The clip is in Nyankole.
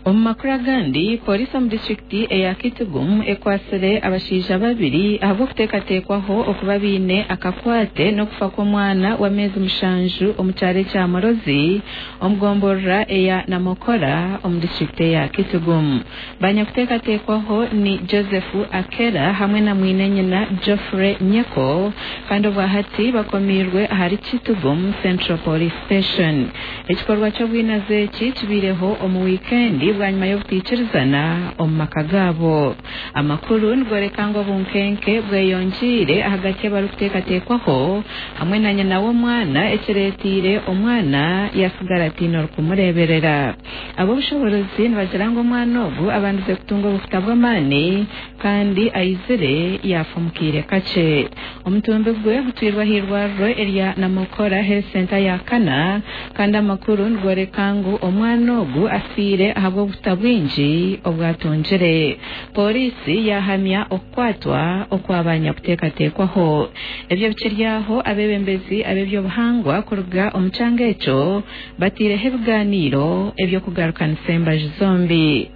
Omu makuru agandi, Pooriisi omu disiturikiti eya Kitgum ekwatsire abashaija babiri ahabw'okuteekateekwaho okuba baine akakwate n'okufa kw'omwana w'ameezi mushanju omu kyaro ekya Morozi omu gomborora eya Namokora omu disiturikiti eya Kitgum. Banyakuteekateekwaho ni Joseph Akera hamwe na mwine-nyina Geoffrey Nyeko kandi obwahati bakomiirwe ahari Kitgum Central Police Station. Ekikorwa ky'obwinazi eki kibaireho omu wiikendi bwanyima y'obutaikirizana omu maka gaabo. Amakuru nigoreka ngu obunkenke bweyongyeire ahagati y'abarikuteekateekwaho hamwe na nyina w'omwana ekireeteire omwana yasigara ataine orikumureeberera. Ab'obushoboorozi nibagira ngu omwana ogu abandize kutunga obuhuta bw'amaani kandi aizire yaafa omu kaire kakye. Omutumbi gwe gutwirwe ah'eirwariro erya Namokora Health Centre ya kana kandi amakuru nigoreka ngu omwana ogu afiire ahabw'obuhuta bwingi obu atungire. Pooriisi yaahamya okukwatwa okwa banyakuteekateekwaho. Ebyo bikiri aho, abeebembezi ab'eby'obuhangwa kuruga omu kyanga ekyo bateireho ebiganiiro eby'okugarukanisa embaju zombi.